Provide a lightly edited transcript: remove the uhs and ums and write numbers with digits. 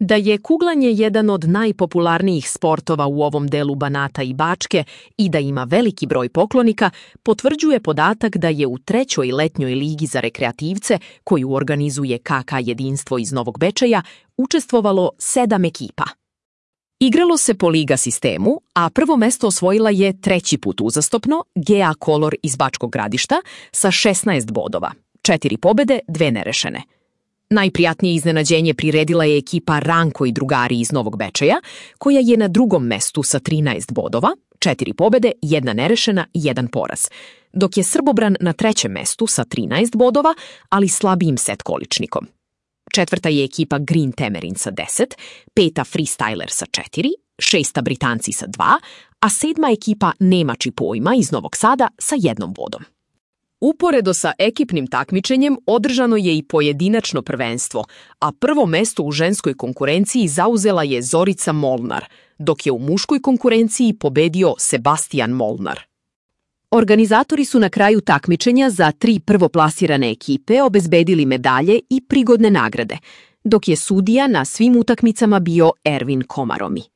Da je kuglanje jedan od najpopularnijih sportova u ovom delu Banata i Bačke i da ima veliki broj poklonika, potvrđuje podatak da je u 3. letnjoj ligi za rekreativce, koju organizuje KK Jedinstvo iz Novog Bečeja, učestvovalo 7 ekipa. Igralo se po liga sistemu, a prvo mesto osvojila je 3. put uzastopno GA Kolor iz Bačkog Gradišta sa 16 bodova, 4 pobede, 2 nerešene. Najprijatnije iznenađenje priredila je ekipa Ranko i drugari iz Novog Bečeja, koja je na 2. mestu sa 13 bodova, 4 pobede, 1 nerešena i 1 poraz, dok je Srbobran na 3. mestu sa 13 bodova, ali slabijim set količnikom. 4. je ekipa Green Temerin sa 10, 5. Freestyler sa 4, 6. Britanci sa 2, a 7. ekipa Nemači pojma iz Novog Sada sa 1 bodom. Uporedo sa ekipnim takmičenjem održano je i pojedinačno prvenstvo, a prvo mesto u ženskoj konkurenciji zauzela je Zorica Molnar, dok je u muškoj konkurenciji pobedio Sebastian Molnar. Organizatori su na kraju takmičenja za 3 prvoplasirane ekipe obezbedili medalje i prigodne nagrade, dok je sudija na svim utakmicama bio Ervin Komaromi.